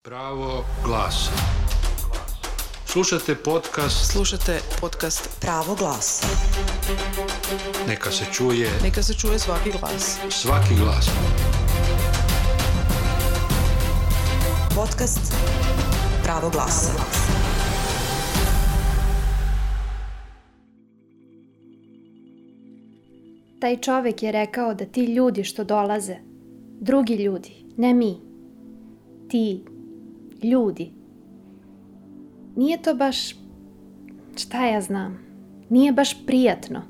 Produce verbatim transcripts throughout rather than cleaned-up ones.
Pravo glasa. Slušate podcast. Slušate podcast Pravo glasa. Neka se čuje. Neka se čuje svaki glas. Svaki glas. Podcast Pravo glasa. Taj čovek je rekao da ti ljudi što dolaze, drugi ljudi, ne mi, ti ljudi, nije to baš, šta ja znam, nije baš prijatno.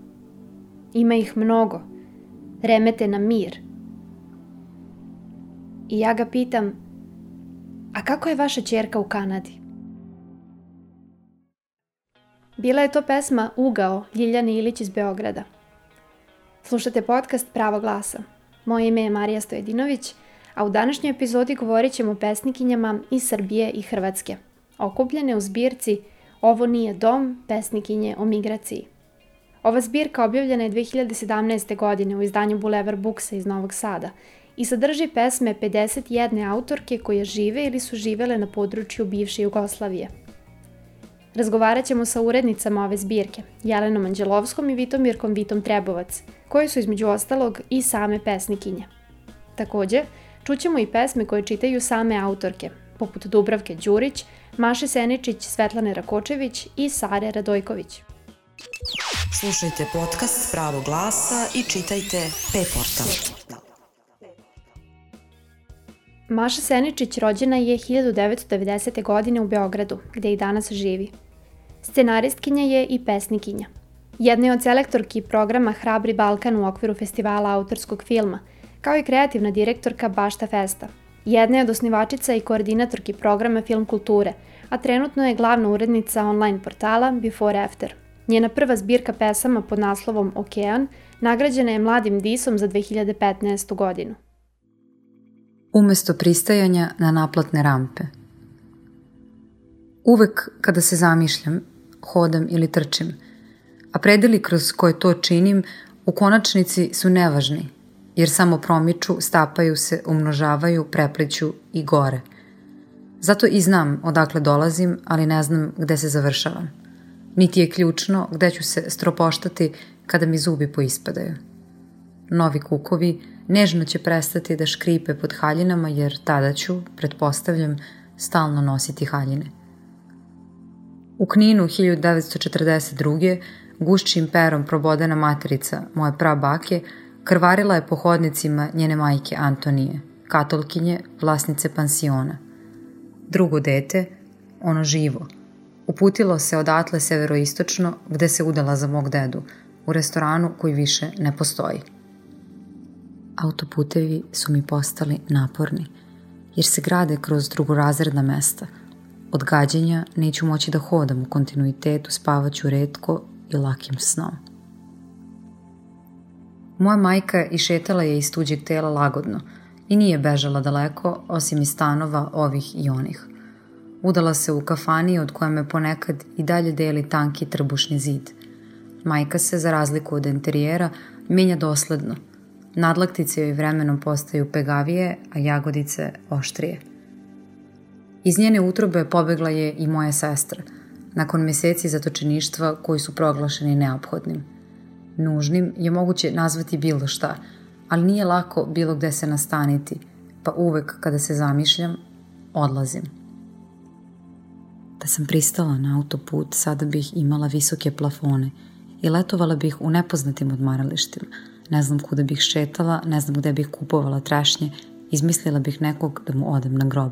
Ima ih mnogo, remete na mir. I ja ga pitam, a kako je vaša ćerka u Kanadi? Bila je to pesma Ugao Ljiljane Ilić iz Beograda. Slušate podcast Pravo glasa. Moje ime je Marija Stojedinović, a u današnjoj epizodi govorit ćemo o pesnikinjama iz Srbije i Hrvatske, okupljene u zbirci Ovo nije dom, pesnikinje o migraciji. Ova zbirka objavljena je dve hiljade sedamnaeste. godine u izdanju Bulevar Buksa iz Novog Sada i sadrži pesme pedeset jedne autorke koje žive ili su živele na području bivše Jugoslavije. Razgovarat ćemo sa urednicama ove zbirke, Jelenom Anđelovskom i Vitomirkom Vitom Trebovac, koji su između ostalog i same pesnikinje. Takođe, čućemo i pesme koje čitaju same autorke, poput Dubravke Đurić, Maše Seničić, Svetlane Rakočević i Sare Radojković. Slušajte podcast Pravo glasa i čitajte P-portal. Maša Seničić rođena je hiljadu devetsto devedesete. godine u Beogradu, gde i danas živi. Scenaristkinja je i pesnikinja. Jedna je od selektorki programa Hrabri Balkan u okviru festivala autorskog filma, kao i kreativna direktorka Bašta Festa. Jedna je od osnivačica i koordinatorki programa Film kulture, a trenutno je glavna urednica online portala Before After. Njena prva zbirka pesama pod naslovom Okean nagrađena je Mladim disom za dve hiljade petnaestu. godinu. Umesto pristajanja na naplatne rampe. Uvek kada se zamišljam, hodam ili trčim, a predeli kroz koje to činim u konačnici su nevažni, jer samo promiču, stapaju se, umnožavaju, prepliću i gore. Zato i znam odakle dolazim, ali ne znam gde se završavam. Niti je ključno gde ću se stropoštati kada mi zubi poispadaju. Novi kukovi nežno će prestati da škripe pod haljinama, jer tada ću, pretpostavljam, stalno nositi haljine. U Kninu hiljadu devetsto četrdeset druge. gušćim perom probodena materica moje prabake krvarila je po hodnicima njene majke Antonije, katolkinje, vlasnice pansiona. Drugo dete, ono živo, uputilo se odatle severoistočno gde se udala za mog dedu, u restoranu koji više ne postoji. Autoputevi su mi postali naporni, jer se grade kroz drugorazredna mesta. Od gađenja neću moći da hodam u kontinuitetu, spavaću retko i lakim snom. Moja majka išetala je iz tuđeg tela lagodno i nije bežala daleko, osim iz stanova ovih i onih. Udala se u kafani od koje me ponekad i dalje deli tanki trbušni zid. Majka se, za razliku od enterijera, menja dosledno. Nadlaktice joj vremenom postaju pegavije, a jagodice oštrije. Iz njene utrobe pobegla je i moja sestra, nakon meseci zatočeništva koji su proglašeni neophodnim. Nužnim je moguće nazvati bilo šta, ali nije lako bilo gde se nastaniti, pa uvek kada se zamišljam, odlazim. Da sam pristala na autoput, sada bih imala visoke plafone i letovala bih u nepoznatim odmaralištima. Ne znam kuda bih šetala, ne znam gde bih kupovala trešnje, izmislila bih nekog da mu odem na grob.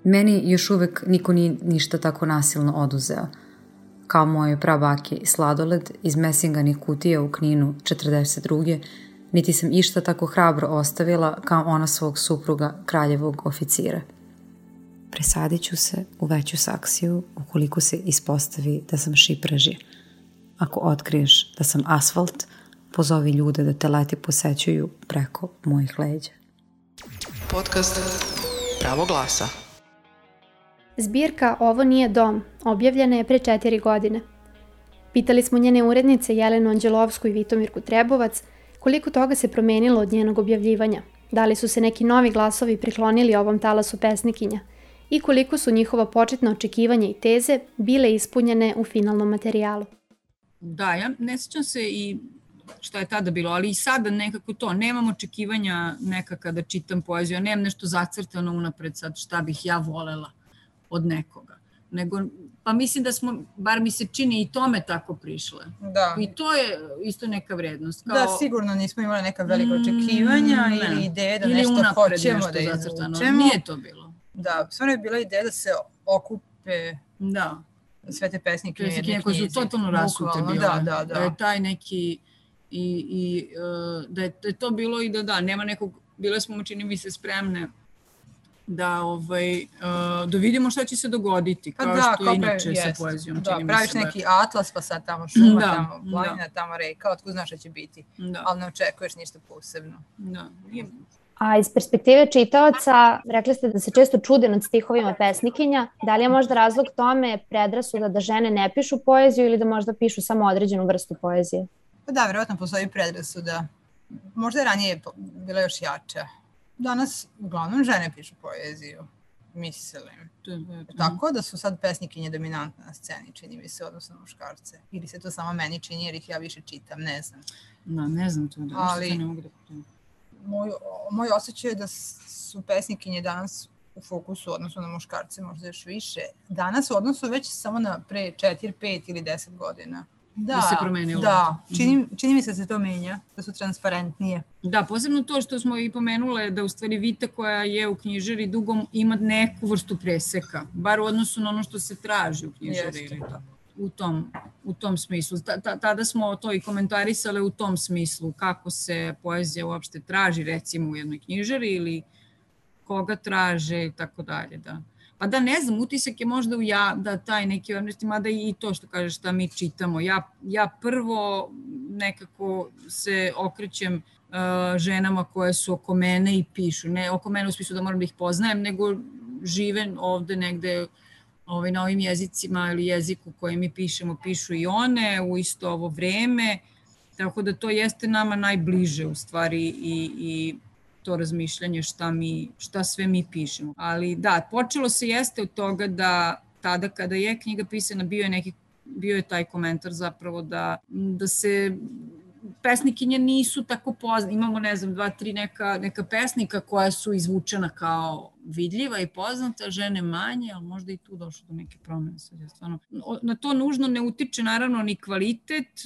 Meni još uvek niko nije ništa tako nasilno oduzeo. Kao moje prabake sladoled iz mesinganih kutija u Kninu četrdeset druge. niti sam išta tako hrabro ostavila kao ona svog supruga, kraljevog oficira. Presadit ću se u veću saksiju ukoliko se ispostavi da sam šipražje. Ako otkriješ da sam asfalt, pozovi ljude da te leti posećuju preko mojih leđa. Podcast Pravo glasa. Zbirka Ovo nije dom objavljena je pre četiri godine. Pitali smo njene urednice Jelenu Anđelovsku i Vitomirku Trebovac koliko toga se promenilo od njenog objavljivanja, da li su se neki novi glasovi priklonili ovom talasu pesnikinja i koliko su njihova početna očekivanja i teze bile ispunjene u finalnom materijalu. Da, ja ne sjećam se i šta je tada bilo, ali i sada nekako to, nemam očekivanja neka kada čitam poeziju, nemam nešto zacrtano unapred sad šta bih ja volela od nekoga, nego, pa mislim da smo, bar mi se čini i tome tako prišle. Da. I to je isto neka vrednost. Kao, da, sigurno nismo imali neka velika očekivanja mm, ili ideje da ili nešto hoćemo nešto da izvučemo. Nije to bilo. Da, stvarno je bila ideja da se okupe da. sve te pesnike u jednoj knjizi. Koje su totalno rasute bile. Da, da, da. Da je taj neki, i, i, uh, da, je, da je to bilo i da da, nema nekog, bile smo, čini mi se, spremne da, ovaj, uh, da vidimo šta će se dogoditi, kao da, što je inače jest. Sa poezijom. Da, praviš se neki atlas, pa sad tamo šuma, da, tamo planina, da. Tamo reka, otkud znaš šta će biti, da. Ali ne očekuješ ništa posebno. Da, nije... A iz perspektive čitaoca, rekli ste da se često čude nad stihovima pesnikinja. Da li je možda razlog tome predrasuda da žene ne pišu poeziju ili da možda pišu samo određenu vrstu poezije? Pa da, vjerojatno postoji predrasuda. Možda je ranije bila još jača. Danas uglavnom žene pišu poeziju, mislim. Tako da su sad pesnikinje dominantne na sceni, čini mi se, odnosno na muškarce. Ili se to samo meni čini jer ih ja više čitam, ne znam. No, ne znam to, da ali, ne mogu da pitam. Moj, moj osjećaj je da su pesnikinje danas u fokusu odnosno na muškarce možda još više. Danas u odnosu već samo na pre četiri, pet ili deset godina. Da, da se promenilo. Da, čini, čini mi se da se to menja, da su transparentnije. Da, posebno to što smo i pomenule da u stvari Vita koja je u knjižari dugom ima neku vrstu preseka, bar u odnosu na ono što se traži u knjižari ili tako. U tom, u tom smislu. Ta, ta, tada smo to i komentarisale u tom smislu, kako se poezija uopšte traži, recimo u jednoj knjižari ili koga traže i tako dalje, da. Pa da ne znam, utisak je možda u ja, da taj neki odnosno, mada i to što kažeš šta mi čitamo. Ja, ja prvo nekako se okrećem uh, ženama koje su oko mene i pišu. Ne oko mene u smislu da moram da ih poznajem, nego žive ovde negde ovaj, na ovim jezicima ili jeziku koji mi pišemo, pišu i one u isto ovo vreme. Tako da to jeste nama najbliže u stvari i, i to razmišljanje šta, mi, šta sve mi pišemo. Ali da, počelo se jeste od toga da tada kada je knjiga pisana bio je, neki, bio je taj komentar zapravo da, da se pesnikinje nisu tako poznate. Imamo, ne znam, dva, tri neka, neka pesnika koja su izvučena kao vidljiva i poznata, žene manje, ali možda i tu došlo do neke promene. Stvarno. Na to nužno ne utiče naravno ni kvalitet,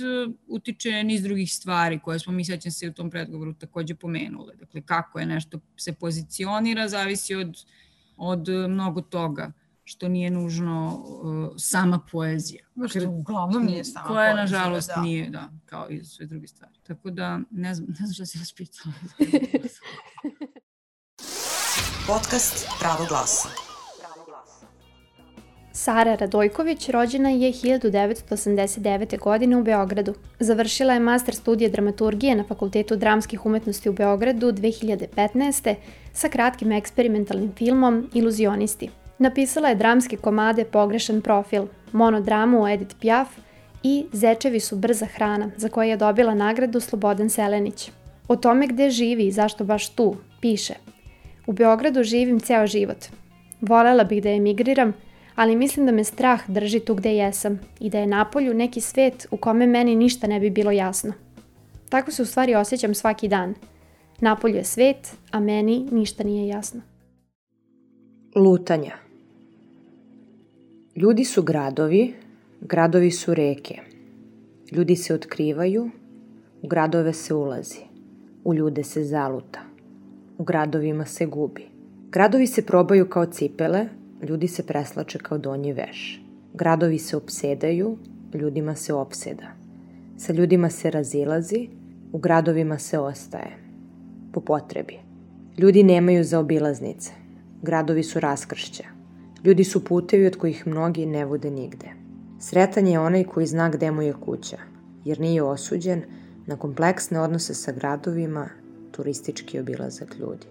utiče niz drugih stvari koje smo mi sećam se u tom predgovoru takođe pomenule. Dakle, kako je nešto se pozicionira, zavisi od, od mnogo toga, što nije nužno uh, sama poezija. Što uglavnom nije sama koja, poezija. Koja, nažalost, da. nije, da, kao i sve druge stvari. Tako da, ne znam, ne znam što si vas pitala. Podcast Pravo glasa. Sara Radojković rođena je hiljadu devetsto osamdeset devete. godine u Beogradu. Završila je master studije dramaturgije na Fakultetu dramskih umetnosti u Beogradu dve hiljade petnaeste. sa kratkim eksperimentalnim filmom Iluzionisti. Napisala je dramske komade Pogrešan profil, monodramu o Edith Piaf i Zečevi su brza hrana, za koje je dobila nagradu Slobodan Selenić. O tome gde živi i zašto baš tu, piše: U Beogradu živim ceo život. Volela bih da emigriram, ali mislim da me strah drži tu gde jesam i da je napolju neki svet u kome meni ništa ne bi bilo jasno. Tako se u stvari osjećam svaki dan. Napolju je svet, a meni ništa nije jasno. Lutanja. Ljudi su gradovi, gradovi su reke. Ljudi se otkrivaju, u gradove se ulazi, u ljude se zaluta, u gradovima se gubi. Gradovi se probaju kao cipele, ljudi se preslače kao donji veš. Gradovi se opsedaju, ljudima se opseda. Sa ljudima se razilazi, u gradovima se ostaje. Po potrebi. Ljudi nemaju zaobilaznice. Gradovi su raskršća. Ljudi su putevi od kojih mnogi ne vode nigde. Sretan je onaj koji zna gde mu je kuća, jer nije osuđen na kompleksne odnose sa gradovima, turistički obilazak ljudi.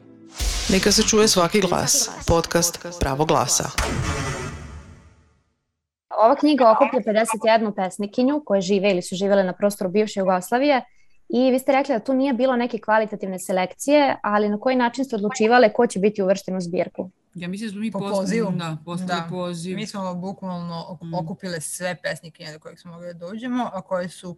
Neka se čuje svaki glas. Podcast Pravo glasa. Ova knjiga okuplja pedeset jednu pesnikinju koje žive ili su živele na prostoru bivše Jugoslavije i vi ste rekli da tu nije bilo neke kvalitativne selekcije, ali na koji način ste odlučivale ko će biti uvršten u zbirku? Ja mislim da smo mi po poslali, pozivu. Da, poslali poziv. Mi smo bukvalno okupile sve pesnikinje do kojih smo mogli da dođemo, a koje su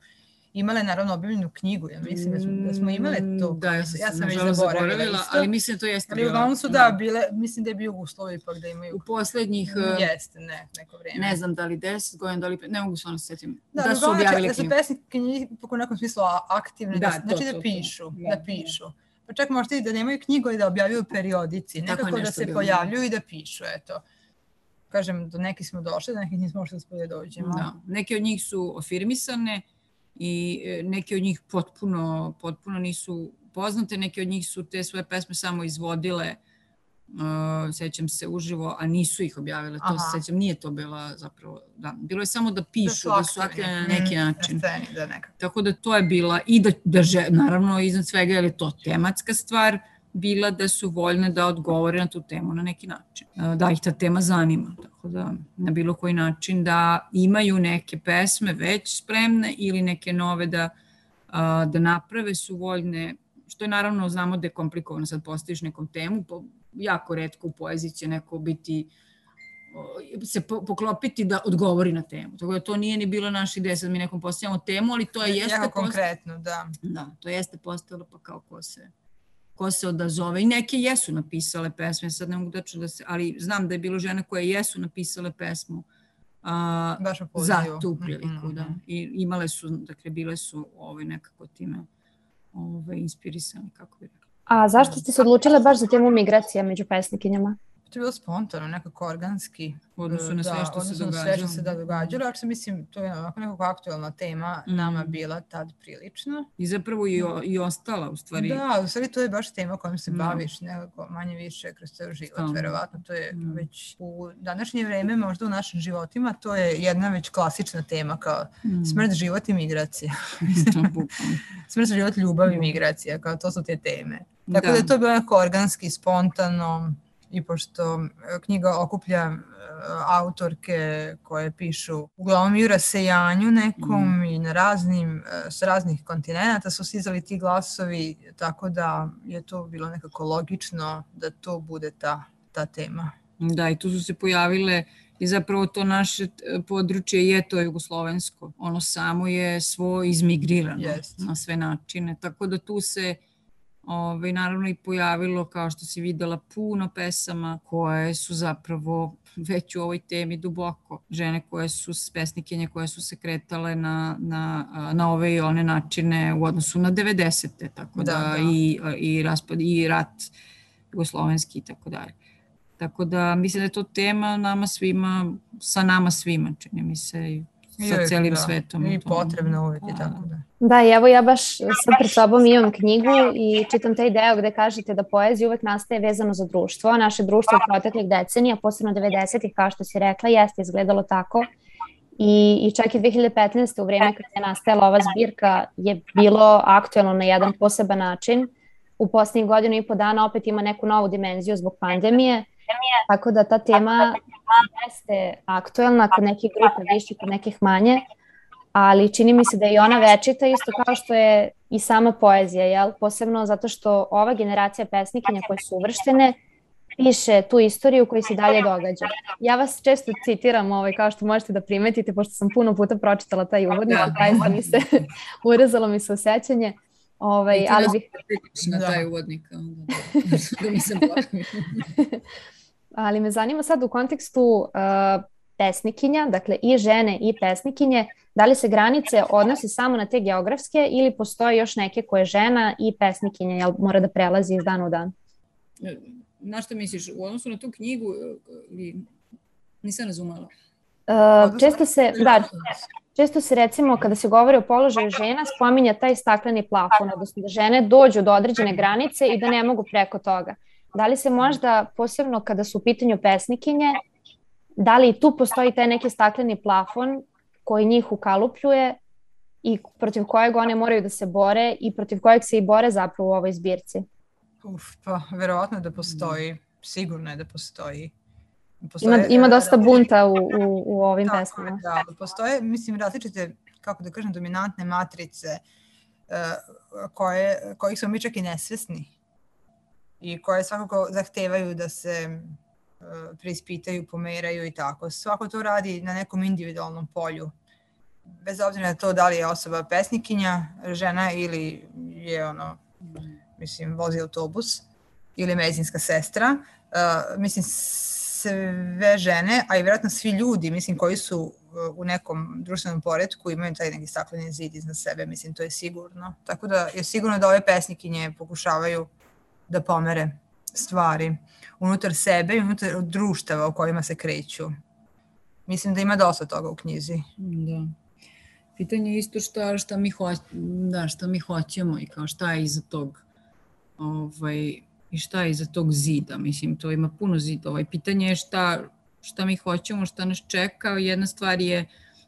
imale naravno objavljenu knjigu. Ja mislim da smo, da smo imale to. Da, ja, ja sam već zaboravila, zaboravila isto. ali mislim da to jeste bilo. Ali uglavnom su da, bile, mislim da je bio uslov ipak da imaju. U poslednjih... Jeste, ne, neko vreme. Ne znam da li deset godina, da li... Ne mogu se ono sjetim. Da, da su objavili da su pesnikinje u nekom smislu aktivne, da, da, znači to, da to, pišu, to. da pišu. Pa čak možda i da nemaju knjigu i da objavljuju periodici, nekako da se pojavljuju i da pišu, eto. Kažem, do nekih smo došli, do nekih nismo možda da dođemo. Da, neke od njih su afirmisane i neke od njih potpuno, potpuno nisu poznate, neke od njih su te svoje pesme samo izvodile, uh, sećam se uživo, a nisu ih objavile, to se sećam, nije to bila zapravo, da, bilo je samo da pišu, da su aktivne na neki način. Sceni, da nekako. Tako da to je bila, i da, da že, naravno iznad svega je to tematska stvar, bila da su voljne da odgovore na tu temu na neki način. Da ih ta tema zanima. Tako da na bilo koji način da imaju neke pesme već spremne ili neke nove da, da naprave su voljne, što je naravno znamo da je komplikovano sad postaviš nekom temu, jako retko u poeziji će neko biti se poklopiti da odgovori na temu. Tako da to nije ni bilo naša ideja, sad mi nekom postavljamo temu, ali to je jeste... Jako konkretno, da. Da, to jeste postavilo pa kao ko se... ko se odazove. I neke jesu napisale pesme, sad ne mogu da se, ali znam da je bilo žene koje jesu napisale pesmu a, za tu priliku. Mm-hmm. Da. I imale su, dakle, bile su ovaj, nekako time ovaj, inspirisane, kako bi rekla. A zašto ste se odlučile baš za temu migracija među pesnikinjama? To je bilo spontano, nekako organski. U odnosu na sve da, što se događalo. Sve što se da događalo, ako se mislim, to je onako nekako aktualna tema mm. nama bila tad prilično. I zapravo i, o, i ostala, u stvari. Da, u stvari to je baš tema kojom se baviš, nekako manje više kroz ceo život, Stalno. verovatno. To je mm. već u današnje vreme, možda u našim životima, to je jedna već klasična tema kao mm. smrt, život i migracija. Smrt, život, ljubav i migracija, kao to su te teme. Tako da, da je to bilo nekako organski, spontano. I pošto knjiga okuplja uh, autorke koje pišu uglavnom i u rasejanju nekom mm. i na raznim, uh, s raznih kontinenta su stizali ti glasovi, tako da je to bilo nekako logično da to bude ta, ta tema. Da, i tu su se pojavile i zapravo to naše područje je to jugoslovensko. Ono samo je svo izmigrirano yes. na sve načine, tako da tu se Ove, naravno i pojavilo, kao što si videla, puno pesama koje su zapravo već u ovoj temi duboko. Žene koje su pesnikinje, koje su se kretale na, na, na ove i one načine u odnosu na devedesete, tako da, da, da. I, i, raspad, i rat jugoslovenski i tako dalje. Tako da mislim da je to tema nama svima, sa nama svima, čini mi se, sa celim da. svetom. I potrebno uvijek i tako da. Da, i evo ja baš sad pred sobom imam knjigu i čitam taj deo gde kažete da poezija uvek nastaje vezano za društvo. Naše društvo u proteklih decenija, posebno devedesetih, kao što si rekla, jeste izgledalo tako. I, i čak i dve hiljade petnaeste. u vreme kada je nastajala ova zbirka je bilo aktuelno na jedan poseban način. U posljednjih godinu i po dana opet ima neku novu dimenziju zbog pandemije. Tako da ta tema jeste aktuelna kod nekih grupa više, kod nekih manje. Ali čini mi se da je i ona večita isto kao što je i sama poezija, jel? Posebno zato što ova generacija pesnikinja koje su uvrštene piše tu istoriju koja se dalje događa. Ja vas često citiram, ovaj, kao što možete da primetite, pošto sam puno puta pročitala taj uvodnik, zaista mi se urezalo mi se osjećanje. Ovaj, ali bih... na taj uvodnik. Da mi se ali me zanima sad u kontekstu uh, pesnikinja, dakle i žene i pesnikinje, da li se granice odnose samo na te geografske ili postoje još neke koje žena i pesnikinja, jel mora da prelazi iz dana u dan? Na što misliš, u odnosu na tu knjigu, nisam razumela. Uh, često se, da, često se recimo kada se govori o položaju žena spominja taj stakleni plafon, odnosno da žene dođu do određene granice i da ne mogu preko toga. Da li se možda, posebno kada su u pitanju pesnikinje, da li i tu postoji taj neki stakleni plafon koji njih ukalupljuje i protiv kojeg one moraju da se bore i protiv kojeg se i bore zapravo u ovoj zbirci? Uf, pa verovatno da postoji, sigurno je da postoji. Postoje, ima, ima dosta bunta u, u, u ovim tako, pesmama. Da, postoje, mislim, različite, kako da kažem, dominantne matrice uh, koje, kojih smo mi čak i nesvesni i koje svakako zahtevaju da se preispitaju, pomeraju i tako. Svako to radi na nekom individualnom polju. Bez obzira na to da li je osoba pesnikinja, žena ili je ono, mislim, vozi autobus ili medicinska sestra. Uh, mislim, sve žene, a i vjerojatno svi ljudi, mislim, koji su u nekom društvenom poretku imaju taj neki stakleni zid iznad sebe, mislim, to je sigurno. Tako da je sigurno da ove pesnikinje pokušavaju da pomere stvari unutar sebe i unutar društava u kojima se kreću. Mislim da ima dosta toga u knjizi. Da. Pitanje je isto šta, šta, mi, ho, da, šta mi hoćemo i kao šta je iza tog ovaj, i šta je iza tog zida. Mislim, to ima puno zidova i pitanje je šta, šta mi hoćemo, šta nas čeka. Jedna stvar je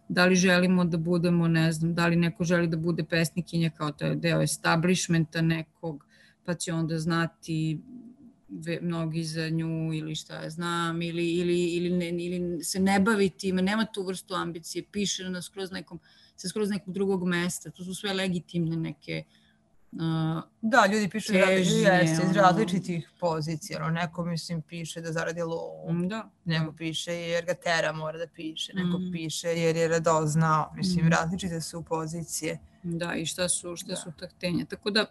da li želimo da budemo, ne znam, da li neko želi da bude pesnikinja kao to je deo establishmenta nekog, pa će onda znati mnogi za nju ili šta ja znam, ili, ili, ili, ne, ili se ne bavi time, nema tu vrstu ambicije, piše na skroz nekom, sa skroz nekog drugog mesta, to su sve legitimne neke uh, da, ljudi pišu težnje, jeste, iz različitih pozicija, ono, neko mislim piše da zaradi lovu, da, neko da. Piše jer ga tera mora da piše, neko mm. piše jer je radoznao, mislim, mm. različite su pozicije. Da, i šta su, šta da. su taktenja. Tako da,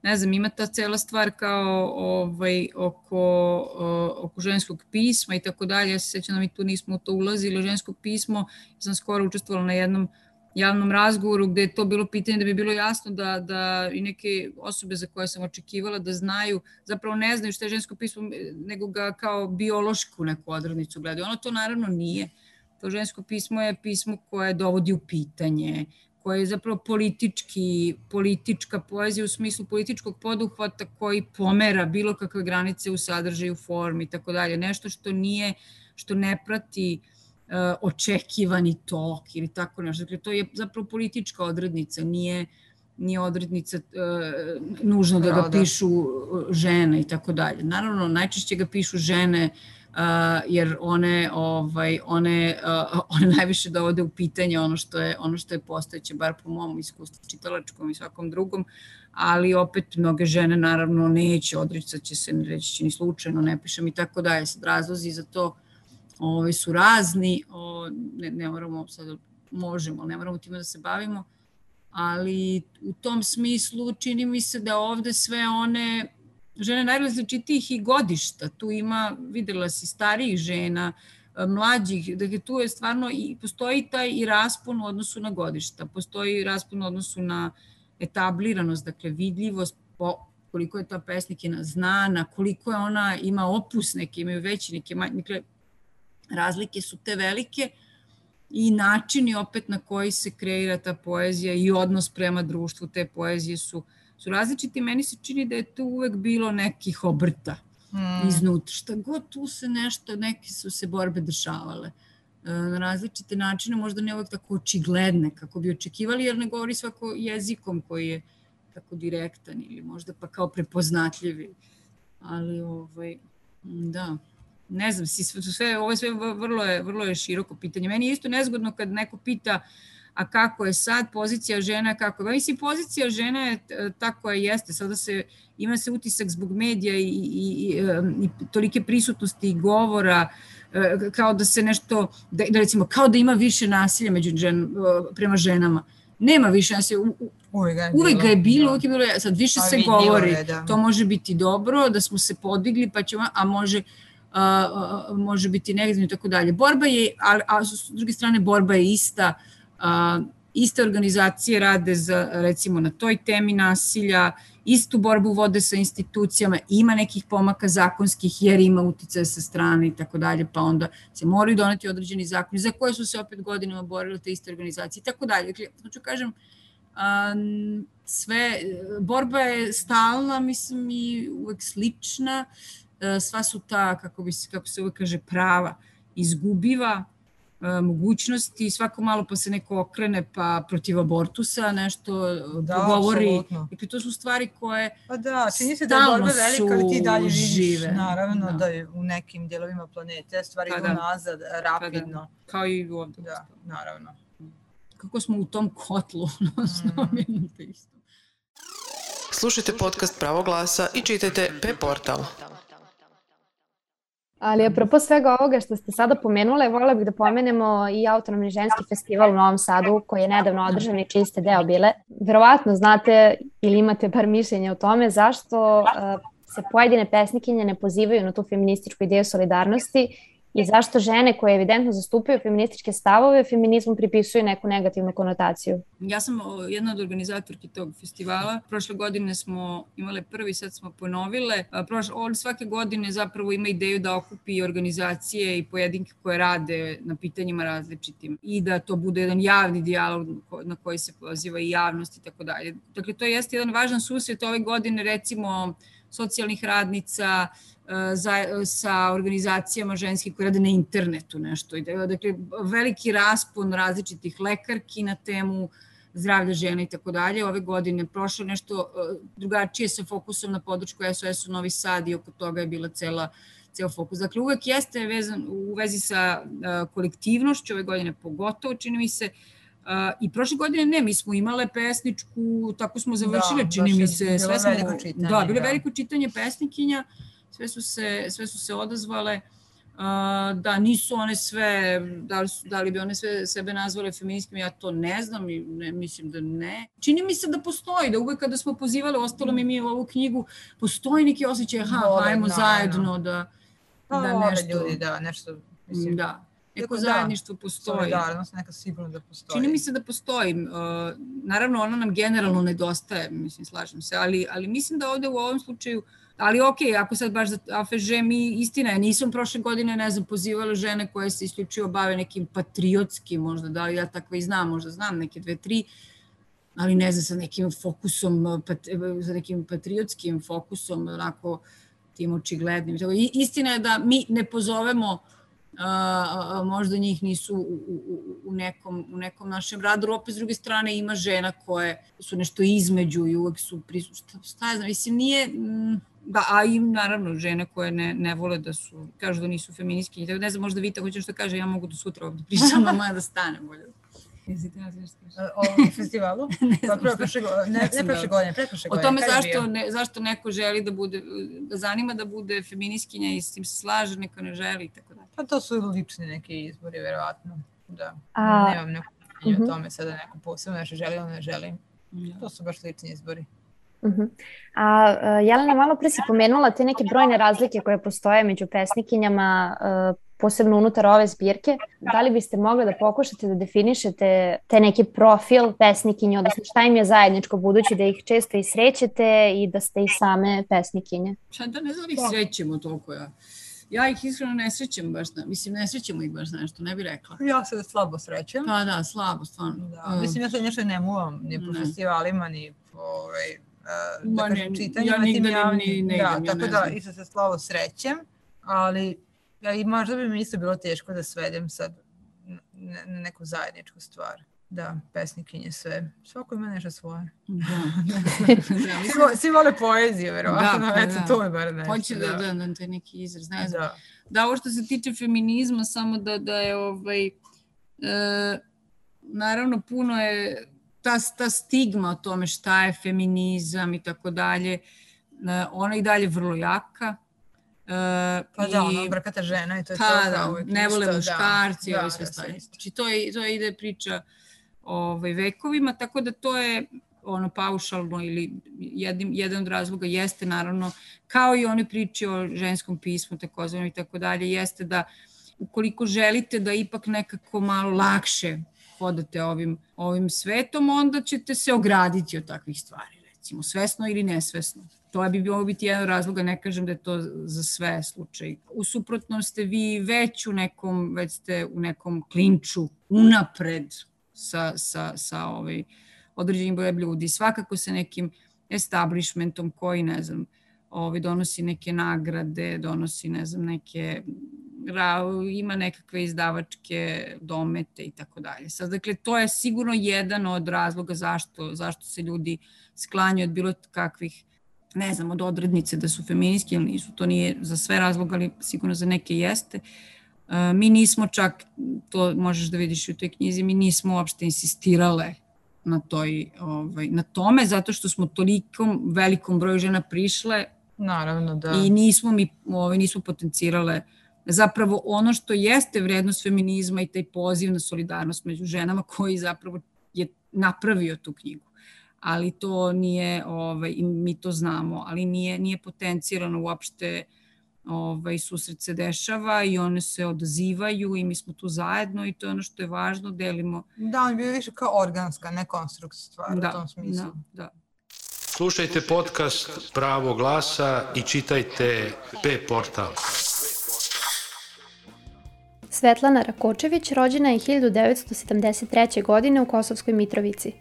ne znam, ima ta cela stvar kao ovaj, oko, uh, oko ženskog pisma i tako dalje. Ja se sjećam da mi tu nismo u to ulazili. Žensko pismo, ja sam skoro učestvovala na jednom javnom razgovoru gde je to bilo pitanje da bi bilo jasno da, da i neke osobe za koje sam očekivala da znaju, zapravo ne znaju što je žensko pismo, nego ga kao biološku neku odrednicu gledaju. Ono to naravno nije. To žensko pismo je pismo koje dovodi u pitanje, koje je zapravo politički, politička poezija u smislu političkog poduhvata koji pomera bilo kakve granice u sadržaju, formi i tako dalje. Nešto što nije, što ne prati uh, očekivani tok ili tako nešto. Dakle, to je zapravo politička odrednica, nije, nije odrednica uh, nužno da ga pišu žene i tako dalje. Naravno, najčešće ga pišu žene Uh, jer one, ovaj, one, uh, one najviše dovode u pitanje ono što je, ono što je postojeće, bar po mom iskustvu čitalačkom i svakom drugom, ali opet mnoge žene naravno neće, odricat će se, reći će ni slučajno, ne pišem i tako dalje. Sad razlozi za to ovaj, su razni, o, ne, ne moramo sad, možemo, ne moramo time da se bavimo, ali u tom smislu čini mi se da ovde sve one žene najrazličitijih i godišta, tu ima, videla si, starijih žena, mlađih, dakle tu je stvarno i postoji taj i raspon u odnosu na godišta, postoji raspon u odnosu na etabliranost, dakle vidljivost, po, koliko je ta pesnikina znana, koliko je ona ima opus, neke imaju veći, neke manji, dakle razlike su te velike i načini opet na koji se kreira ta poezija i odnos prema društvu te poezije su su različiti. Meni se čini da je tu uvek bilo nekih obrta mm. iznutra. Šta god tu se nešto, neke su se borbe dešavale e, na različite načine, možda ne uvek tako očigledne kako bi očekivali, jer ne govori svako jezikom koji je tako direktan ili možda pa kao prepoznatljivi. Ali, ovaj, da, ne znam, sve, sve, ovo je sve vrlo je, vrlo je široko pitanje. Meni je isto nezgodno kad neko pita a kako je sad pozicija žena, kako je. Mislim, pozicija žena je ta koja jeste. Sada se, ima se utisak zbog medija i, i, i, i tolike prisutnosti i govora, kao da se nešto, da, da recimo, kao da ima više nasilja među žen, prema ženama. Nema više nasilja. Uvijek ga je bilo. Uvijek ga je bilo, uvijek je bilo. Sad više se govori. Je, da. To može biti dobro, da smo se podigli, pa ćemo, a može... Uh, može biti negativno i tako dalje. Borba je, a, a s druge strane borba je ista. Uh, iste organizacije rade za, recimo na toj temi nasilja, istu borbu vode sa institucijama, ima nekih pomaka zakonskih jer ima uticaja sa strane i tako dalje, pa onda se moraju doneti određeni zakoni za koje su se opet godinama borile te iste organizacije i tako dalje. Dakle, hoću kažem, um, sve, borba je stalna, mislim, i uvek slična, uh, sva su ta, kako, bi se, kako se uvek kaže, prava izgubiva, mogućnosti, svako malo pa se neko okrene pa protiv abortusa nešto da, govori. Dakle, to su stvari koje pa da, čini se da je borba velika, ali ti dalje vidiš, naravno, da. da je u nekim dijelovima planete stvari pa idu da. nazad rapidno. Pa da. Kao i ovdje. Da, naravno. Kako smo u tom kotlu, mm. isto. Slušajte podcast Pravo glasa i čitajte P portal. Ali apropo svega ovoga što ste sada pomenule, voljela bih da pomenemo i Autonomni ženski festival u Novom Sadu koji je nedavno održan i čiji ste deo bile. Verovatno znate ili imate par mišljenja o tome zašto uh, se pojedine pesnikinje ne pozivaju na tu feminističku ideju solidarnosti i zašto žene koje evidentno zastupaju feminističke stavove feminizmu pripisuju neku negativnu konotaciju. Ja sam jedna od organizatorki tog festivala. Prošle godine smo imale prvi, sad smo ponovile. Prošle, on svake godine zapravo ima ideju da okupi organizacije i pojedinke koje rade na pitanjima različitim i da to bude jedan javni dijalog na koji se poziva i javnost i tako dalje. Dakle, to jeste jedan važan susret ove godine, recimo socijalnih radnica, Za, sa organizacijama ženskih koje rade na internetu nešto. Dakle, veliki raspon različitih lekarki na temu zdravlja žena i tako dalje. Ove godine prošlo nešto drugačije sa fokusom na podršku S O S u Novi Sad i oko toga je bila cela, ceo fokus. Dakle, uvek jeste vezan u vezi sa kolektivnošću, ove godine pogotovo, čini mi se. Uh, I prošle godine ne, mi smo imale pesničku, tako smo završile, da, čini mi se. Sve smo, veliko čitanje. Da, bilo je veliko čitanje pesnikinja. Sve su se, sve su se odazvale, uh, da nisu one sve, da li, su, da li bi one sve sebe nazvale feministkim, ja to ne znam i ne, mislim da ne. Čini mi se da postoji, da uvek kada smo pozivali, ostalo mi mi u ovu knjigu, postoji neki osjećaj, aha, hajmo no, zajedno da, no. da no, nešto... ljudi, da, nešto, mislim, da. Neko zajedništvo postoji. Solidarnost, neka sigurno da postoji. Čini mi se da postoji. Uh, naravno, ona nam generalno nedostaje, mislim, slažem se, ali, ali mislim da ovde u ovom slučaju, ali ok, ako sad baš za A F Ž mi, istina je, nisam prošle godine, ne znam, pozivala žene koje se isključivo bave nekim patriotskim, možda, da li ja takva i znam, možda znam neke dve, tri, ali ne znam, sa nekim fokusom, pat, sa nekim patriotskim fokusom, onako, tim očiglednim. Istina je da mi ne pozovemo Uh, uh, možda njih nisu u, u, u, nekom, u nekom našem radu, opet s druge strane ima žena koje su nešto između i uvek su prisutne, šta, šta je znam, mislim nije, da, a im naravno žene koje ne, ne vole da su, kažu da nisu feministkinje, tako ne znam, možda Vita hoće što kaže, ja mogu do sutra ovdje pričam, a moja da stane bolje. O festivalu? Pa prošle godine, ne prošle godine, pretprošle godine. O tome zašto, ne, zašto neko želi da bude, da zanima da bude feministkinja i s tim se slaže, neko ne želi i tako dalje. Pa to su lični neki izbori, verovatno. Da, A, nemam neko pitanje uh-huh. o tome sada neko posebno, nešto želim ili ne želim. Ja. To su baš lični izbori. Uh-huh. A uh, Jelena, malo pre si pomenula te neke brojne razlike koje postoje među pesnikinjama, uh, posebno unutar ove zbirke. Da li biste mogli da pokušate da definišete te neki profil pesnikinje, odnosno šta im je zajedničko, budući da ih često i srećete i da ste i same pesnikinje? Šta da ne znam ih srećemo toliko ja. Ja ih iskreno ne srećem baš, na, mislim ne srećemo ih baš nešto, ne bih rekla. Ja se slabo srećem. Pa da, slabo, stvarno. Da, um, mislim ja se nešto ne muvam, ni po ne. festivalima, ni po ovaj, uh, da kažem, čitanjima. Ja nigde ni ne idem, da, tako da isto se slabo srećem, ali ja, i možda bi mi isto bilo teško da svedem sad na neku zajedničku stvar. Da, pesnikinje sve. Svako ima nešto svoje. Da. svi, svi vole poeziju, verovatno. Da, pa eto, da. To je bar nešto. Hoće da, da, da, to je neki izraz. Ne znam. Da. da, ovo što se tiče feminizma, samo da, da je ovaj, e, naravno puno je ta, ta stigma o tome šta je feminizam i tako dalje, ona i dalje vrlo jaka. Uh, pa i, da, ono, brkata žena i to je ta, to. Da, ne vole muškarci, da, ovo sve stavljaju. Znači, to, je, to je ide priča ovaj, vekovima, tako da to je ono paušalno ili jedin, jedan od razloga jeste naravno, kao i one priče o ženskom pismu, takozvano i tako dalje, jeste da ukoliko želite da ipak nekako malo lakše hodate ovim, ovim svetom, onda ćete se ograditi od takvih stvari, recimo, svesno ili nesvesno. To bi bilo biti jedan razloga, ne kažem da je to za sve slučaj. U suprotnom ste vi već u nekom, već ste u nekom klinču unapred sa, sa, sa ovaj, određenim brojem ljudi. Svakako sa nekim establishmentom koji, ne znam, ovaj, donosi neke nagrade, donosi, ne znam, neke, ima nekakve izdavačke domete i tako dalje. Sad, dakle, to je sigurno jedan od razloga zašto, zašto se ljudi sklanjaju od bilo kakvih, ne znam, od odrednice da su feministki ili nisu. To nije za sve razloga, ali sigurno za neke jeste. Uh, mi nismo čak, to možeš da vidiš u toj knjizi, mi nismo uopšte insistirale na, toj, ovaj, na tome, zato što smo tolikom velikom broju žena prišle. Naravno, da. I nismo mi ovaj, nismo potencirale zapravo ono što jeste vrednost feminizma i taj poziv na solidarnost među ženama koji zapravo je napravio tu knjigu. Ali to nije, ovaj, mi to znamo, ali nije, nije potencirano uopšte, ovaj, susret se dešava i one se odazivaju i mi smo tu zajedno i to je ono što je važno, delimo. Da, on je bio više kao organska, ne konstrukt stvar da, u tom smislu. Da, da. Slušajte podcast Pravo glasa i čitajte P-portal. Svetlana Rakočević rođena je hiljadu devetsto sedamdeset treće. godine u Kosovskoj Mitrovici.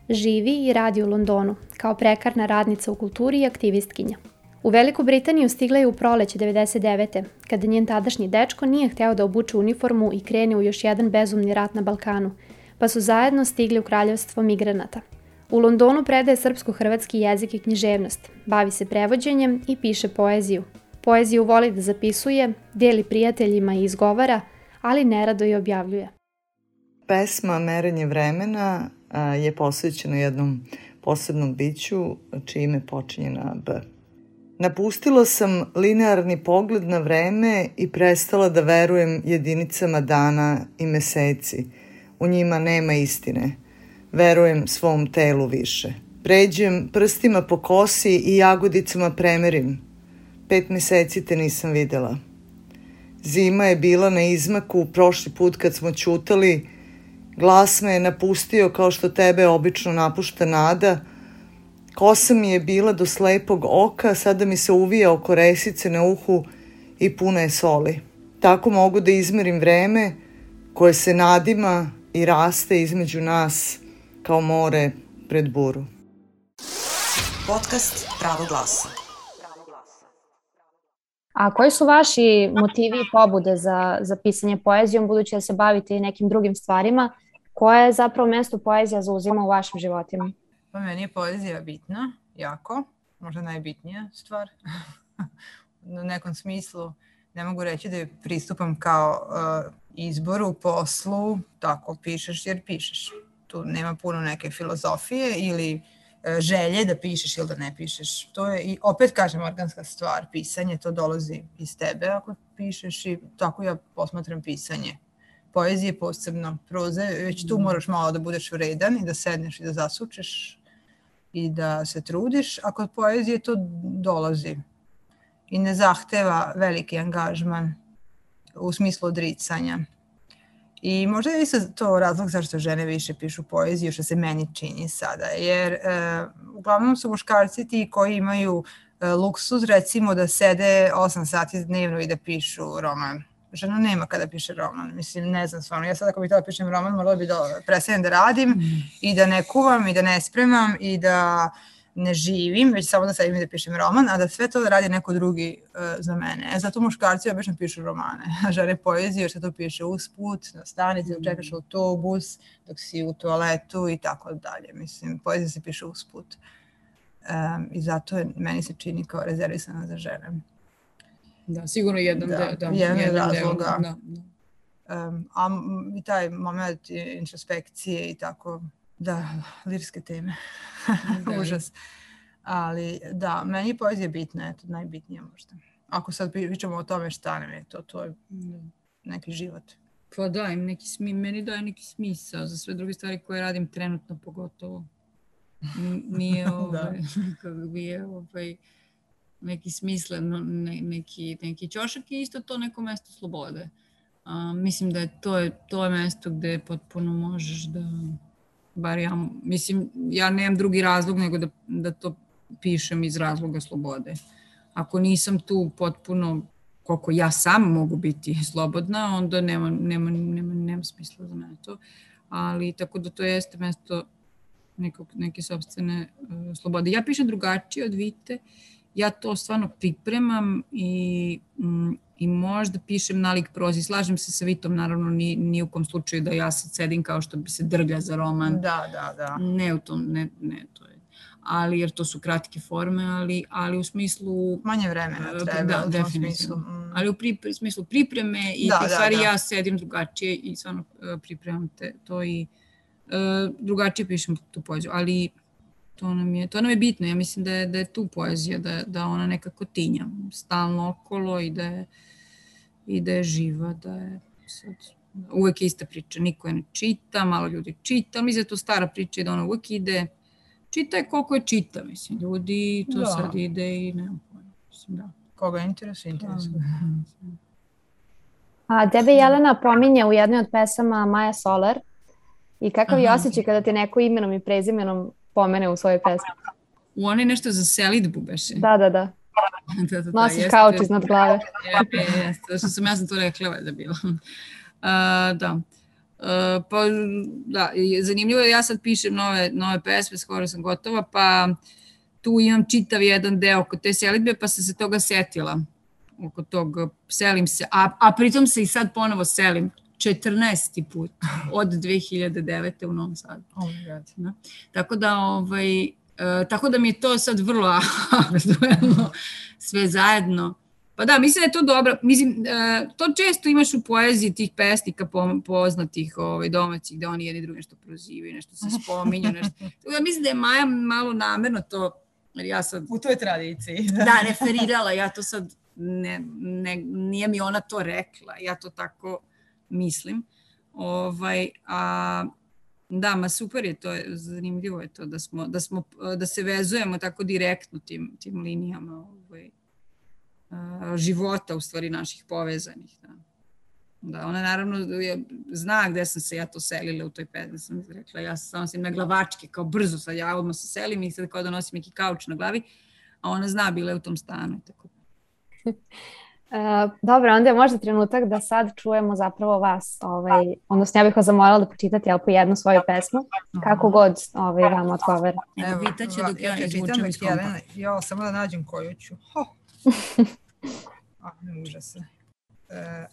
Živi i radi u Londonu, kao prekarna radnica u kulturi i aktivistkinja. U Veliku Britaniju stigla je u proleće devedeset devete. kada njen tadašnji dečko nije hteo da obuče uniformu i krene u još jedan bezumni rat na Balkanu, pa su zajedno stigli u kraljevstvo migranata. U Londonu predaje srpsko-hrvatski jezik i književnost, bavi se prevođenjem i piše poeziju. Poeziju voli da zapisuje, deli prijateljima i izgovara, ali nerado i objavljuje. Pesma Merenje vremena je posvećena jednom posebnom biću čije ime počinje na B. Napustila sam linearni pogled na vreme i prestala da verujem jedinicama dana i meseci. U njima nema istine. Verujem svom telu više. Pređem prstima po kosi i jagodicama premerim. Pet meseci te nisam videla. Zima je bila na izmaku prošli put kad smo ćutali. Glas me je napustio kao što tebe obično napušta nada. Kosa mi je bila do slepog oka, sada mi se uvija oko resice na uhu i puna je soli. Tako mogu da izmerim vreme koje se nadima i raste između nas kao more pred buru. Podcast Pravo glasa. A koji su vaši motivi i pobude za, za pisanje poezijom, budući da se bavite i nekim drugim stvarima? Koje je zapravo mesto poezija zauzima u vašim životima? Pa meni je poezija bitna, jako, možda najbitnija stvar. U nekom smislu ne mogu reći da je pristupam kao uh, izboru, poslu, tako pišeš jer pišeš. Tu nema puno neke filozofije ili uh, želje da pišeš ili da ne pišeš. To je, i opet kažem, organska stvar, pisanje, to dolazi iz tebe ako pišeš i tako ja posmatram pisanje. Poezije posebno, proze, već tu moraš malo da budeš vredan i da sedneš i da zasučeš i da se trudiš, a kod poezije to dolazi i ne zahteva veliki angažman u smislu odricanja. I možda je isto to razlog zašto žene više pišu poeziju, što se meni čini sada, jer e, uglavnom su muškarci ti koji imaju e, luksuz, recimo da sede osam sati dnevno i da pišu roman. Žena nema kada piše roman, mislim, ne znam stvarno. Ja sad ako bih htjela pišem roman, morala bi da prestanem da radim mm. i da ne kuvam i da ne spremam i da ne živim, već samo da sedim i da pišem roman, a da sve to da radi neko drugi uh, za mene. E, zato muškarci obično pišu romane, a žene poeziju jer se to piše usput, na stanici, dok čekaš autobus, dok si u toaletu i tako dalje. Mislim, poezija se piše usput. Um, I zato je, meni se čini kao rezervisana za žene. Da, sigurno jedan da, deo. Da, jedan jedan razloga. Da, da. Um, a i taj moment introspekcije i tako, da, lirske teme, da. Užas. Ali da, meni je poezija bitna, eto, najbitnija možda. Ako sad pričamo o tome šta nam je to, to je neki život. Pa da, im neki smi, meni daje neki smisao za sve druge stvari koje radim trenutno pogotovo. Nije ovaj, kako bi je ovaj, neki smislen, ne, neki, neki ćošak i isto to neko mesto slobode. A, mislim da je to, je to je mesto gde potpuno možeš da, bar ja, mislim, ja nemam drugi razlog nego da, da to pišem iz razloga slobode. Ako nisam tu potpuno, koliko ja sam mogu biti slobodna, onda nema, nema, nema, nema smisla za mene to. Ali tako da to jeste mesto nekog, neke sopstvene uh, slobode. Ja pišem drugačije od Vite. Ja to stvarno pripremam i, mm, i možda pišem nalik prozi. Slažem se sa Vitom, naravno, ni, ni u kom slučaju da ja sad sedim kao što bi se drlja za roman. Da, da, da. Ne u tom, ne, ne, to je. Ali, jer to su kratke forme, ali, ali u smislu... Manje vremena treba, da, u tom smislu. Mm. Ali u pri, smislu pripreme i da, da, stvari da. Ja sedim drugačije i stvarno uh, pripremam te, to i uh, drugačije pišem tu poeziju, ali... To nam je, to nam je bitno, ja mislim da je, da je tu poezija, da, da ona nekako tinja stalno okolo i da je, i da je živa, da je sad, uvek je ista priča, niko je ne čita, malo ljudi čita, mislim da je to stara priča i da ona uvek ide, čita je koliko je čita, mislim, ljudi, to da. Sad ide i nemam pojma, mislim, da. Koga interesuje, interesuje. A tebe Jelena pominje u jednoj od pesama Maja Solar i kakav je osjećaj kada te neko imenom i prezimenom pomene u svojoj pesmi? U onaj nešto za selidbu beše. Da, da, da. da, da, da nosiš kauč iznad glave. Jeste, jeste, što sam ja sam to rekla da bila. Uh, da. Uh, pa, da, zanimljivo je, ja sad pišem nove, nove pesme, skoro sam gotova, pa tu imam čitav jedan deo kod te selidbe, pa sam se toga setila. Oko tog selim se, a, a pritom se i sad ponovo selim četrnaesti put od dve hiljade devete u Novom Sadu. Oh my God. Da. Tako da, ovaj, uh, tako da mi je to sad vrlo aktuelno sve zajedno. Pa da, mislim da je to dobro. Mislim, uh, to često imaš u poeziji tih pesnika poznatih ovaj, domaćih, da oni jedni drugi nešto prozivaju, nešto se spominju. Nešto. Tako da mislim da je Maja malo namerno to, jer ja sad... U toj tradiciji. Da, referirala, ja to sad, ne, ne, nije mi ona to rekla, ja to tako mislim. Ovaj, a, da, ma super je to, zanimljivo je to da, smo, da, smo, da se vezujemo tako direktno tim, tim linijama ovaj, a, života, u stvari naših povezanih. Da. Da, ona naravno je, zna gde sam se ja to selila u toj pesmi, sam rekla, ja sam nosim na glavačke, kao brzo sad ja odmah se selim i sad kao da nosim neki kauč na glavi, a ona zna, bila je u tom stanu. Tako. Uh, dobro, onda je možda trenutak da sad čujemo zapravo vas, ovaj, odnosno ja bih vas zamolila da pročitate jel, po jednu svoju pesmu, kako god ovaj, vam odgovara. Evo, pitaće dok ja, ja izvučem iz kompa. Jo, samo da nađem koju ću. A, ne užasno.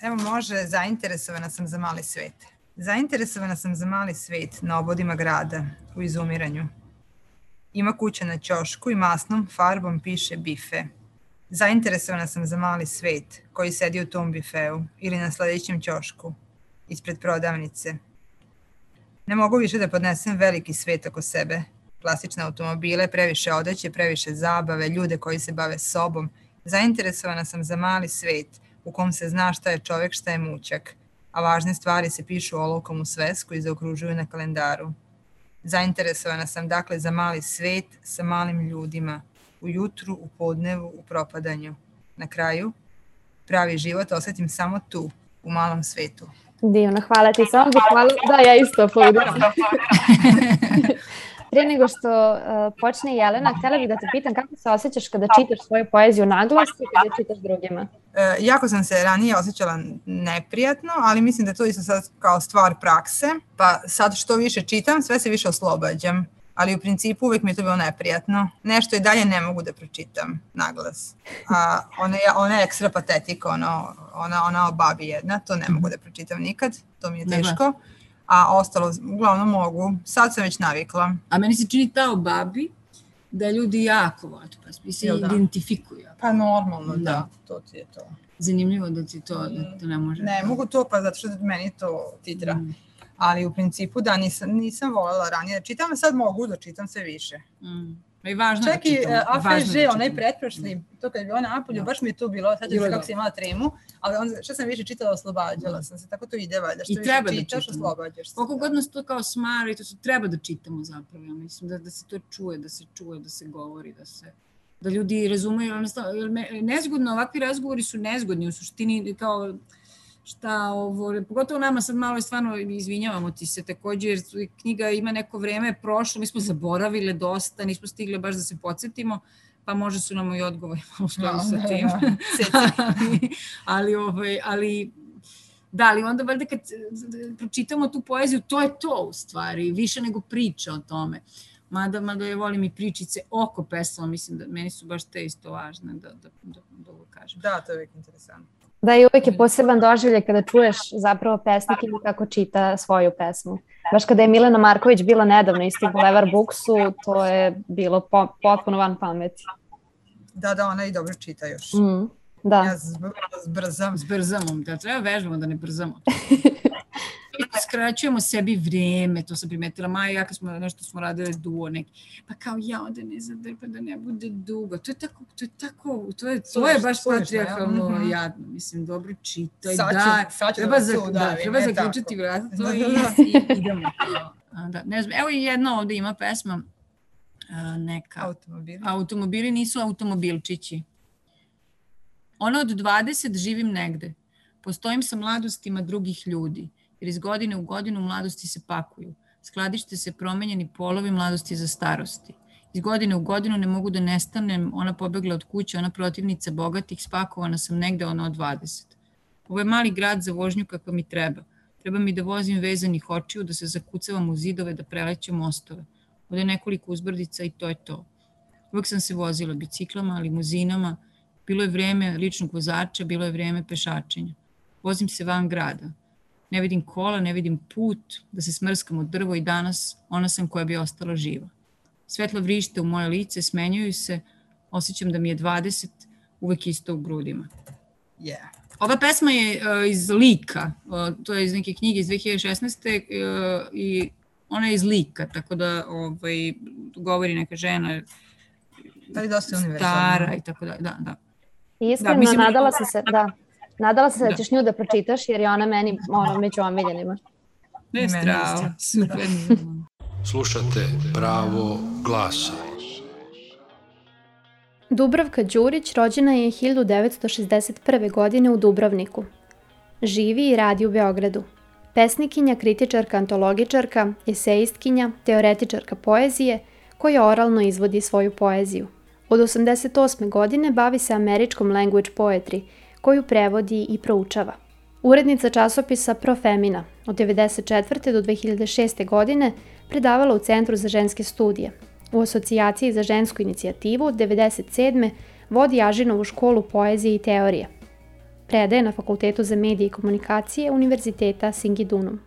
Evo može, zainteresovana sam za mali svet. Zainteresovana sam za mali svet na obodima grada, u izumiranju. Ima kuća na ćošku i masnom farbom piše bife. Zainteresovana sam za mali svet koji sedi u tom bifeu ili na sledećem ćošku, ispred prodavnice. Ne mogu više da podnesem veliki svet oko sebe. Klasične automobile, previše odeće, previše zabave, ljude koji se bave sobom. Zainteresovana sam za mali svet u kom se zna šta je čovek, šta je mućak, a važne stvari se pišu olovkom u svesku i zaokružuju na kalendaru. Zainteresovana sam dakle za mali svet sa malim ljudima, u jutru, u podnevu, u propadanju. Na kraju, pravi život osetim samo tu, u malom svetu. Divno, hvala ti. Samo bih hvala... Da, ja isto aplaudiram. Prije nego što uh, počne Jelena, htjela bih da te pitam kako se osjećaš kada čitaš svoju poeziju naglas i kada čitaš drugima? E, jako sam se ranije osjećala neprijatno, ali mislim da je to isto sad kao stvar prakse, pa sad što više čitam, sve se više oslobađam. Ali u principu uvijek mi je to bilo neprijatno. Nešto i dalje ne mogu da pročitam naglas. A ona je, ona je ekstra patetika, ono, ona, ona o babi jedna, to ne mogu da pročitam nikad, to mi je teško. A ostalo, uglavnom mogu, sad sam već navikla. A meni se čini ta o babi da ljudi jako vole, pa se identifikuju. Pa normalno, da. da, to ti je to. Zanimljivo da ti to, da to ne može. Ne mogu to, pa zato što meni to titra. Mm. Ali u principu da, nisam, nisam voljela ranije da čitam, a sad mogu da čitam sve više. Mm. I važno čak da čitam. Čak i A F Ž, onaj pretprošli, to kad je bilo napolju, da. Baš mi je to bilo, sad je kako sam imala tremu, ali onda što sam više čitala, oslobađala sam se, tako to ide valjda, što više čitaš, da oslobađaš se. Koliko god nas to kao smari, to se treba da čitamo zapravo, ja mislim, da, da se to čuje, da se čuje, da se govori, da se... da ljudi razumeju, nezgodno, ovakvi razgovori su nezgodni, u suštini kao... šta ovo, pogotovo nama sad malo je stvarno, izvinjavamo ti se također, jer knjiga ima neko vreme prošlo, mi smo zaboravile dosta, nismo stigle baš da se podsjetimo, pa možda su nam i odgovori malo skladu sa tim. ali, ali, ovaj, ali, da, ali onda valjda kad pročitamo tu poeziju, to je to u stvari, više nego priča o tome. Mada, mada je volim i pričice oko pesama, mislim da meni su baš te isto važne da, da, da, da ovo kažem. Da, to je uvijek interesantno. Da, i uvijek je poseban doživljaj kada čuješ zapravo pesnikinju kako čita svoju pesmu. Baš kada je Milena Marković bila nedavno isto u Bulevar Booksu, to je bilo po, potpuno van pameti. Da, da, ona i dobro čita još. Mm, da. Ja zbrzam. Zbrzamo, da treba vežbamo da ne brzamo. uskraćujemo sebi vreme, to sam primetila, Maja i ja kad smo nešto smo radile duo neki, pa kao ja onda ne zadrpa da ne bude dugo, to je tako, to je tako, to je, to je baš patrijarhalno mm-hmm. jadno, mislim, dobro čitaj, sad da, ću, treba, da, za, da, da, treba zaključiti vrat, to da, i, i idemo. Da, ne znam, evo i jedna ovde ima pesma, neka, automobili. automobili nisu automobilčići. Ona od dvadeset živim negde. Postojim sa mladostima drugih ljudi, jer iz godine u godinu mladosti se pakuju. Skladište se promenjeni polovi mladosti za starosti. Iz godine u godinu ne mogu da nestanem, ona pobegla od kuće, ona protivnica bogatih, spakovana sam negde, ona od dvadeset. Ovo je mali grad za vožnju kakva mi treba. Treba mi da vozim vezanih očiju, da se zakucavam u zidove, da prelećem mostove. Ovde je nekoliko uzbrdica i to je to. Uvek sam se vozila biciklama, limuzinama, bilo je vreme ličnog vozača, bilo je vreme pešačenja. Vozim se van grada. Ne vidim kola, ne vidim put, da se smrskam od drvo i danas ona sam koja bi ostala živa. Svetla vrište u moje lice, smenjuju se, osjećam da mi je dvadeset, uvek isto u grudima. Yeah. Ova pesma je uh, iz Lika, uh, to je iz neke knjige iz dve hiljade šesnaeste. Uh, i ona je iz Lika, tako da ovaj, govori neka žena da dosta stara i tako da, da, da. Iskreno, da, mislim, nadala sam se, da, nadala sam se da. da ćeš nju da pročitaš, jer je ona meni ono, među omiljenima. Ne stravo, super. Slušate Pravo glasa. Dubravka Đurić rođena je hiljadu devetsto šezdeset prve. godine u Dubrovniku. Živi i radi u Beogradu. Pesnikinja, kritičarka, antologičarka, esejistkinja, teoretičarka poezije, koja oralno izvodi svoju poeziju. Od osamdeset osme. godine bavi se američkom language poetry, koju prevodi i proučava. Urednica časopisa Profemina, od devedeset četvrte. do dve hiljade šeste. godine predavala u Centru za ženske studije. U Asocijaciji za žensku inicijativu od devedeset sedme. vodi Ažinovu školu poezije i teorije. Predaje na Fakultetu za medije i komunikacije Univerziteta Singidunum.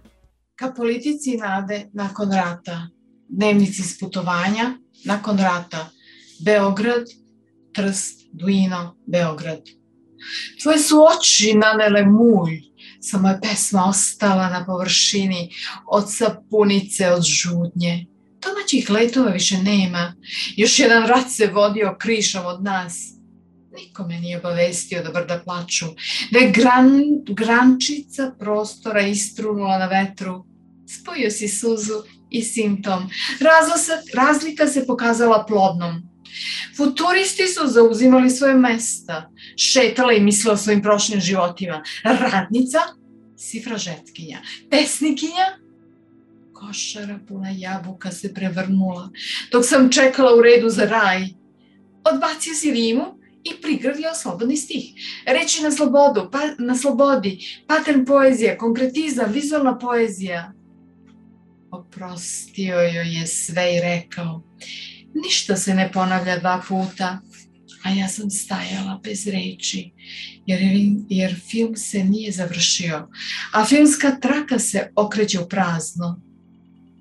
Ka politici nade nakon rata, dnevnici s putovanja nakon rata, Beograd, Trst, Duino, Beograd. Tvoje su oči nanele mulj, samo je pesma ostala na površini, od sapunice, od žudnje. Domaćih letova više nema, još jedan rat se vodio krišom od nas. Niko me nije obavestio da brda plaču, da je gran, grančica prostora istrunula na vetru. Spojio si suzu i simptom. Razlasa, razlika se pokazala plodnom. Futuristi su zauzimali svoje mesta, šetala i mislila o svojim prošlim životima. Radnica, sifražetkinja, pesnikinja, košara puna jabuka se prevrnula, dok sam čekala u redu za raj. Odbacio si rimu i prigrlio slobodni stih. Reči na slobodu, pa, na slobodi, pattern poezija, konkretizam, vizualna poezija. Oprostio joj je sve i rekao, ništa se ne ponavlja dva puta, a ja sam stajala bez reči, jer, jer film se nije završio, a filmska traka se okreće u prazno.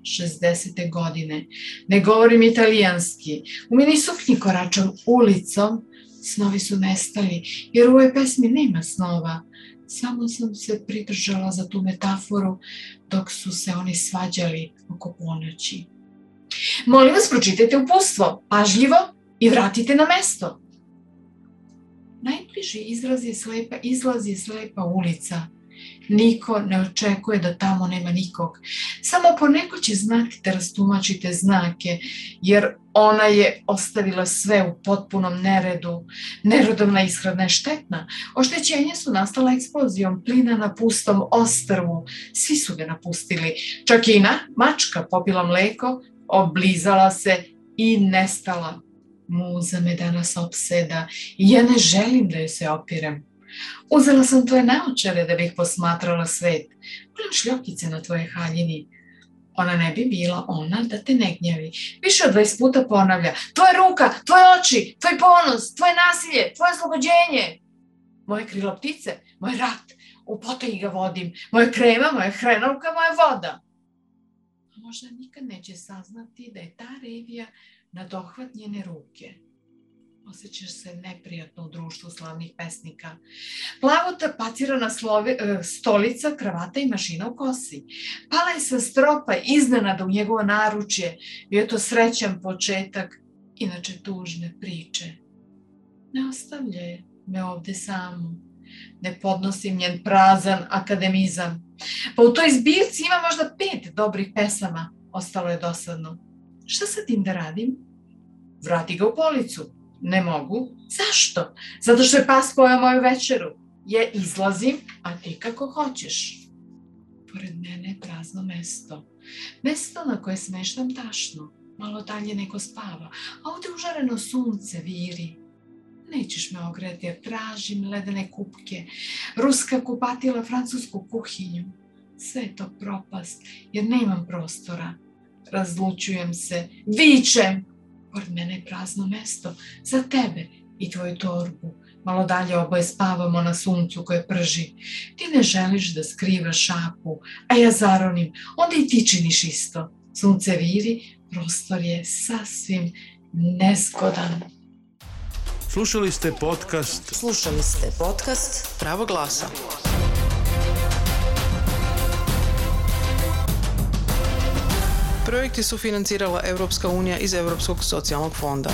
šezdesete. godine, ne govorim italijanski, u mini suknji koračam ulicom, snovi su nestali, jer u ovoj pesmi nema snova. Samo sam se pridržala za tu metaforu dok su se oni svađali oko ponoći. Molim vas, pročitajte uputstvo, pažljivo i vratite na mesto. Najbliži izraz je slepa, izlaz je slepa ulica. Niko ne očekuje da tamo nema nikog. Samo poneko će znati da rastumačite znake, jer ona je ostavila sve u potpunom neredu. Nerodovna ishrana je štetna. Oštećenja su nastala eksplozijom plina na pustom ostrvu. Svi su ga napustili. Čak i na mačka popila mleko, oblizala se i nestala. Muza me danas opseda i ja ne želim da joj se opirem. Uzela sam tvoje naočare da bih posmatrala svet. Gledam šljokice na tvoje haljini. Ona ne bi bila ona da te ne gnjavi. Više od dvadeset puta ponavlja. Tvoja ruka, tvoje oči, tvoj ponos, tvoje nasilje, tvoje oslobođenje. Moje krilo ptice, moj rat, u potaji ga vodim. Moje krema, moja hrenovka, moja voda. A možda nikad neće saznati da je ta revija na dohvat njene ruke. Osjećaš se neprijatno u društvu slavnih pesnika. Plavo tapacirana slovi, stolica, kravata i mašina u kosi. Pala je sa stropa iznenada u njegovo naručje. Bio je to srećan početak, inače tužne priče. Ne ostavljaj me ovde samu. Ne podnosim njen prazan akademizam. Pa u toj zbirci ima možda pet dobrih pesama. Ostalo je dosadno. Šta sa tim da radim? Vrati ga u policu. Ne mogu. Zašto? Zato što je pas pojeo moju večeru. Je izlazim, a ti kako hoćeš. Pored mene je prazno mesto. Mesto na koje smeštam tašno. Malo dalje neko spava. A ovde užareno sunce viri. Nećeš me ogreti jer tražim ledene kupke. Ruska kupatila francusku kuhinju. Sve je to propast jer nemam prostora. Razlučujem se. Vičem. Pored mene je prazno mesto za tebe i tvoju torbu. Malo dalje oboje spavamo na suncu koje prži. Ti ne želiš da skrivaš šapu, a ja zaronim. Onda i ti činiš isto. Sunce viri, prostor je sasvim nezgodan. Slušali ste podcast Slušali ste podcast Pravo glasa. Projekti su financirala Evropska unija iz Evropskog socijalnog fonda.